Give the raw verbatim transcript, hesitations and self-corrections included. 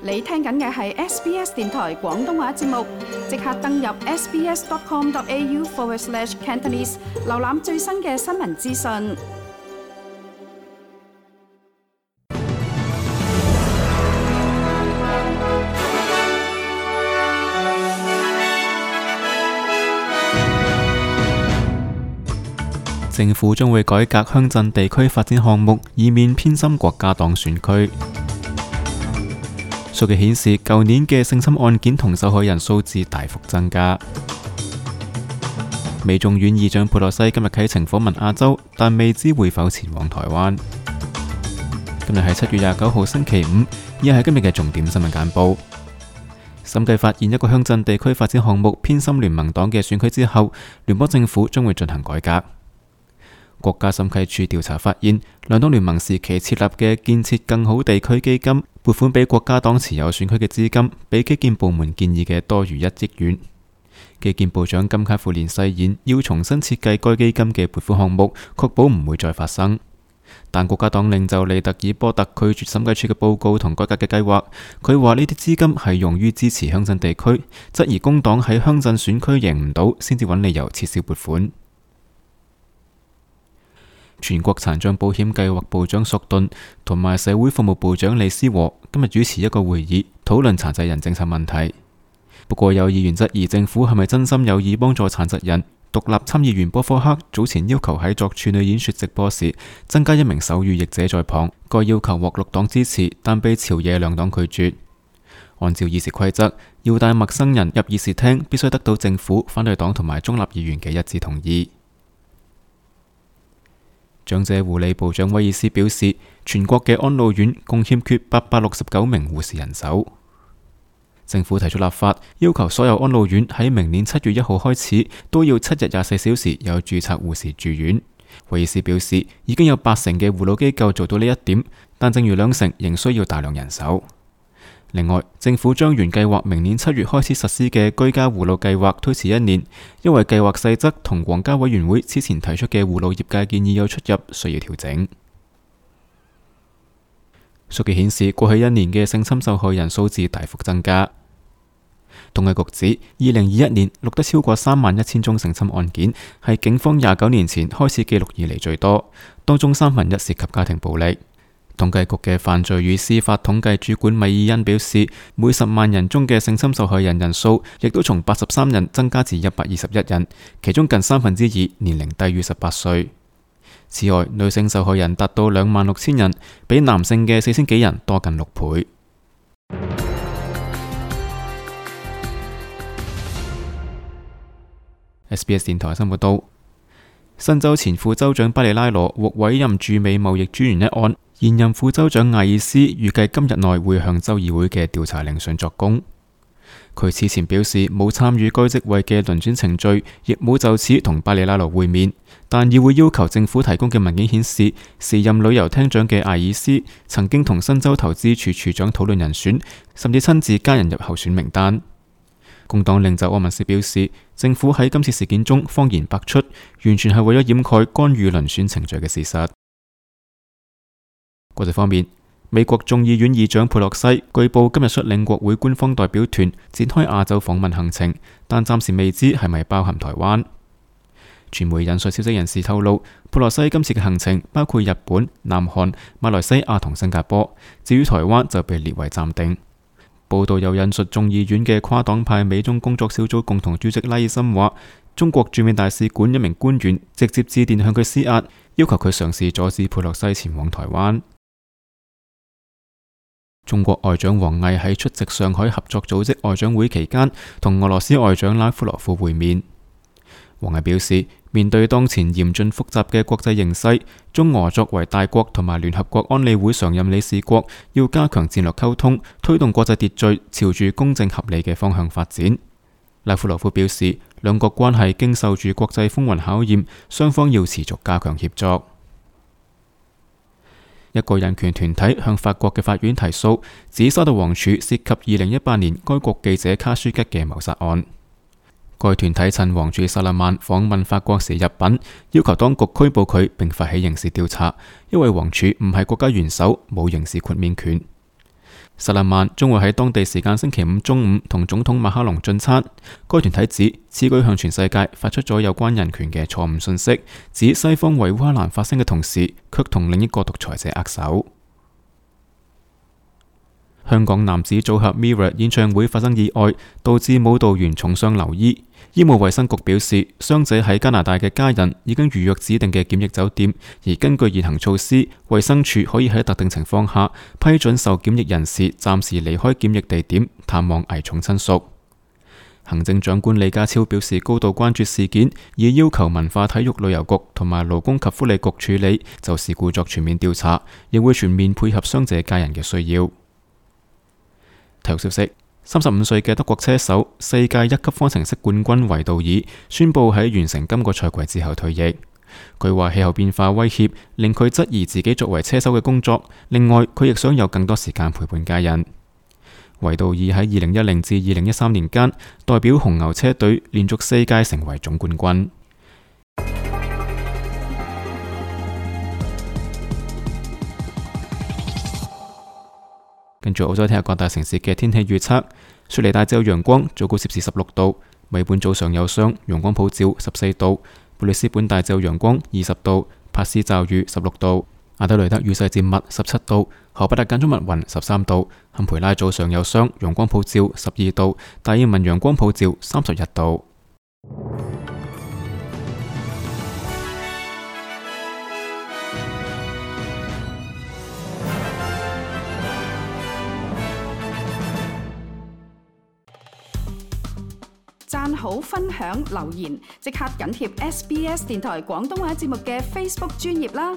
你聽緊嘅係 S B S 電台廣東話節目，即刻登入 sbs.com.au forward slash Cantonese， 瀏覽最新嘅新聞資訊。政府將會改革鄉鎮地區發展項目，以免偏心國家黨選區。數據顯示，舊年嘅性侵案件同受害人數字大幅增加。美眾院議長佩洛西今日啟程訪問亞洲，但未知會否前往台灣。今日係七月廿九號星期五，以下係今日嘅重點新聞簡報。審計發現一個鄉鎮地區發展項目偏心聯盟黨嘅選區之後，聯邦政府將會進行改革。國家審計處調查發現，兩黨聯盟時期設立嘅建設更好地區基金撥款俾國家黨持有選區嘅資金，比基建部門建議嘅多餘一億元。基建部長金卡富連誓言要重新設計該基金嘅撥款項目，確保唔會再發生。但國家黨領袖利特爾波特拒絕審計處嘅報告同改革嘅計劃。佢話呢啲資金係用於支持鄉鎮地區，質疑工黨喺鄉鎮選區贏唔到，先至揾理由撤銷撥款。全國殘障保險計劃部長索頓同埋社會服務部長李思和今日主持一個會議，討論殘疾人政策問題。不過有議員質疑政府係咪真心有意幫助殘疾人。獨立參議員波科克早前要求喺作處女演說直播時增加一名手語譯者在旁，該要求獲綠黨支持，但被朝野兩黨拒絕。按照議事規則，要帶陌生人入議事廳必須得到政府、反對黨同埋中立議員嘅一致同意。長者護理部長威爾斯表示，全國嘅安老院共欠缺八百六十九名護士人手。政府提出立法，要求所有安老院喺明年七月一號開始都要七日廿四小時有註冊護士住院。威爾斯表示，已經有八成嘅護老機構做到呢一點，但剩餘兩成仍需要大量人手。另外，政府將原計劃明年七月開始實施嘅居家護老計劃推遲一年，因為計劃細則同皇家委員會之前提出嘅護老業界建議有出入，需要調整。數據顯示，過去一年嘅性侵受害人數字大幅增加。統計局指，二零二一年錄得超過三萬一千宗性侵案件，係警方廿九年前開始記錄以嚟最多，當中三分一涉及家庭暴力。統計局嘅犯罪與司法統計主管米爾恩表示，每十萬人中嘅性侵受害人人數亦都從八十三人增加至一百二十一人，其中近三分之二年齡低於十八歲。此外，女性受害人達到兩萬六千人，比男性嘅四千幾人多近六倍。S B S 電台新聞報道，新州前副州長巴里拉羅獲委任駐美貿易專員一案，現任副州長艾爾斯預計今日內會向州議會嘅調查聆訊作供。佢此前表示冇參與該職位嘅遴選程序，亦冇就此同巴里拉羅會面。但議會要求政府提供嘅文件顯示，時任旅遊廳長嘅艾爾斯曾經同新州投資處處長討論人選，甚至親自加人入候選名單。工黨領袖柯文斯表示，政府喺今次事件中謊言百出，完全係為咗掩蓋干預遴選程序嘅事實。國際方面，美國眾議院議長佩洛西據報今日率領國會官方代表團展開亞洲訪問行程，但暫時未知係咪包含台灣。傳媒引述消息人士透露，佩洛西今次嘅行程包括日本、南韓、馬來西亞同新加坡，至於台灣就被列為暫定。報道又引述眾議院嘅跨黨派美中工作小組共同主席拉爾森話，中國駐美大使館一名官員直接致電向佢施壓，要求佢嘗試阻止佩洛西前往台灣。中國外長王毅喺出席上海合作組織外長會期間，同俄羅斯外長拉夫羅夫會面。王毅表示，面對當前嚴峻複雜嘅國際形勢，中俄作為大國同埋聯合國安理會常任理事國，要加強戰略溝通，推動國際秩序朝住公正合理嘅方向發展。拉夫羅夫表示，兩國關係經受住國際風雲考驗，雙方要持續加強協作。一個人權團體向法國嘅法院提訴，指沙特王儲涉及二零一八年該國記者卡舒吉嘅謀殺案。該團體趁王儲薩勒曼訪問法國時入稟，要求當局拘捕佢並發起刑事調查，因為王儲唔係國家元首，冇刑事豁免權。薩勒曼將會喺當地時間星期五中午同總統馬克龍進餐。該團體指此舉向全世界發出咗有關人權嘅錯誤信息，指西方為烏克蘭發聲嘅同時，卻同另一個獨裁者握手。香港男子組合 Mirror 演唱會發生意外，導致舞蹈員重傷留醫。醫務衛生局表示，傷者喺加拿大嘅家人已經預約指定嘅檢疫酒店，而根據現行措施，衛生署可以喺特定情況下批准受檢疫人士暫時離開檢疫地點，探望危重親屬。行政長官李家超表示高度關注事件，已要求文化體育旅遊局同埋勞工及福利局處理，就事故作全面調查，亦會全面配合傷者家人嘅需要。體育消息。三十五歲嘅德國車手、世界一級方程式冠軍維杜爾宣布喺完成今個賽季之後退役。佢話氣候變化威脅令佢質疑自己作為車手嘅工作，另外佢亦想有更多時間陪伴家人。維杜爾喺二零一零至二零一三年間代表紅牛車隊連續四屆成為總冠軍。跟住澳洲睇下各大城市嘅天氣預測。雪梨大致有陽光，最高攝氏十六度；墨爾本早上有霜，陽光普照，十四度；布里斯本大致有陽光，二十度；帕斯驟雨，十六度；阿德雷德雨勢漸密，十七度；荷伯特間中密雲，十三度；坎培拉早上有霜，陽光普照，十二度；達爾文陽光普照，三十一度。讚好、分享、留言，即刻緊貼 S B S 電台廣東話節目嘅 Facebook 專頁啦！